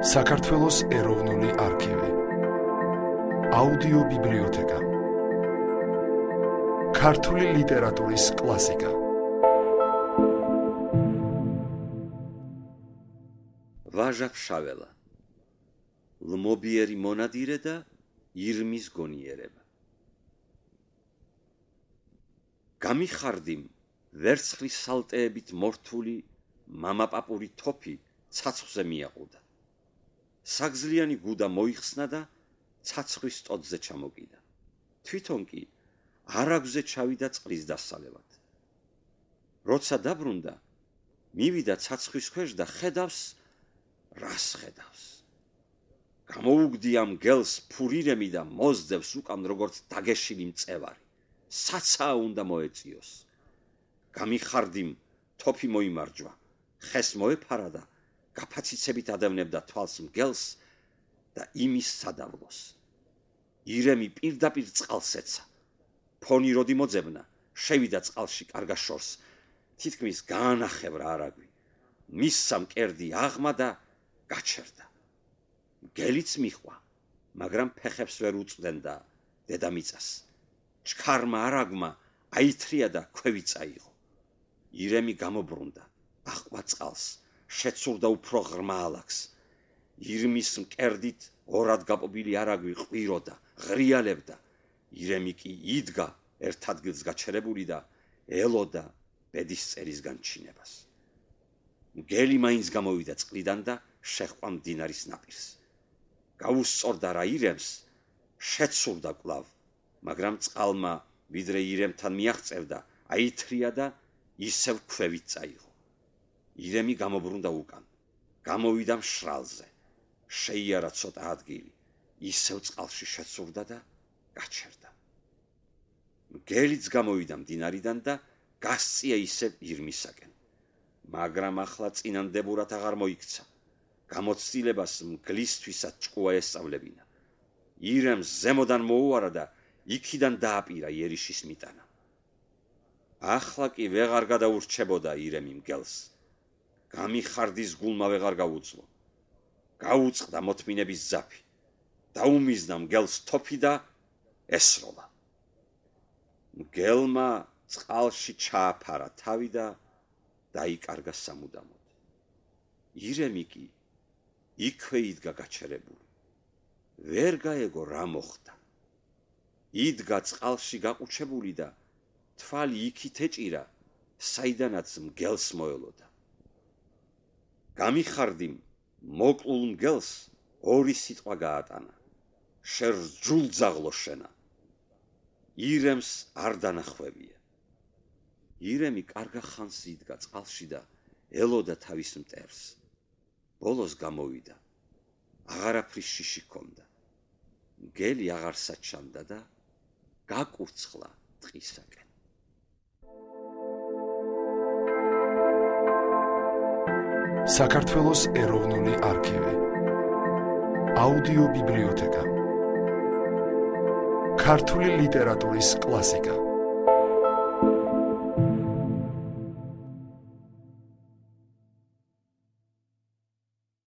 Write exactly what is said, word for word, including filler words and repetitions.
საქართველოს ეროვნული არქივი, აუდიო ბიბლიოთეკა, ქართული ლიტერატურის კლასიკა. ვაჟა ფშაველა, ლმობიერი მონადირე და ირმის გონიერება. გამიხარდიმ ვერცხლის სალტეებით მორთული მამაპაპური თოფი ცაცხვზე მიაყუდა. საგზლიანი გუდა მოიხსნა და ცაცხვის ტოტზე ჩამოკიდა. თვითონ კი არაგზე ჩავიდა წყლის დასალევად. როცა დაბრუნდა, მივიდა ცაცხვის ქვეშ და ხედავს, რას ხედავს. გამოუგდია მგელს ფურირემი და მოსძევს უკან როგორც დაგეშილი მწევარი. საცაა უნდა მოეწიოს. გამიხარდიმ თოფი მოიმარჯვა, ხეს მოეფარა და გაფაციცებით ადევნებდა თვალს მგელს და იმის სადავლოს. ირემი პირდაპირ წყალს ეცა. ფონი როდი მოძებნა, შევიდა წყალში კარგა შორს, თითქმის გაანახევრა არაგვი. მისსა მკერდი აღმა და გაჩერდა. მგელიც მიხვა, მაგრამ ფეხებს ვერ უწვდენ და დედამიწას. ჩქარმა არაგმა აითრია და ქვევი წაიღო. ირემი გამობრუნდა, აჰყვა წყალს, შეცურდა უფრო ღრმა ალაგს. ირმის მკერდით ორად გაპობილი არაგვი ყვიროდა, ღრიალებდა. ირემი კი იდგა ერთ ადგილს გაჩერებული და ელოდა ბედისწერის განჩინებას. მგელი მაინც გამოვიდა წყლიდან და შეჰყვა მდინარის ნაპირს. გაუსწორდა რა ირემს, შეცურდა კვლავ, მაგრამ წყალმა ვიდრე ირემთან მიაღწევდა, აითრია და ისევ ქვევით წაიღო. ირემი გამობრუნდა უკან, გამოვიდა მშრალზე, შეიარა ცოტა ადგილი, ისევ წყალში შეცურდა და გაჩერდა. მგელიც გამოვიდა მდინარიდან და გასწია ისევ ირმისაკენ, მაგრამ ახლა წინანდებურად აღარ მოიქცა. გამოცდილებას მგლისთვისაც ჭკუა ესწავლებინა. ირემს ზემოდან მოუარა და იქიდან დააპირა იერიშის მიტანა. ახლა კი ვეღარ გადაურჩებოდა ირემი მგელს. გამიხარდის გულმა ვეღარ გაუძლო. გაუწყდა მოთმინების ძაფი. დაუმიზნა მგელს თოფი და ესროლა. მგელმა წყალში ჩააფარა თავი და დაიკარგა სამუდამოდ. ირემი კი იქვე იდგა გაჩერებული. ვერ გაეგო რა მოხდა. იდგა წყალში გაყუჩებული და თვალი იქით ეჭირა, საიდანაც მგელს მოელოდა. გამიხარდიმ მოკლულ მგელს ორი სიტყვა გაატანა. შერჯულძაღლო შენა. ირემს არ დანახვევია. ირემი კარგა ხანს იდგა წყალში და ელოდა თავის მტერს. ბოლოს გამოვიდა. აღარაფრის შიში ჰქონდა. მგელი აღარ საჩანდა და გაკურცხლა ტყისაკენ. საქართველოს ეროვნული არქივი, აუდიო ბიბლიოთეკა, ქართული ლიტერატურის კლასიკა.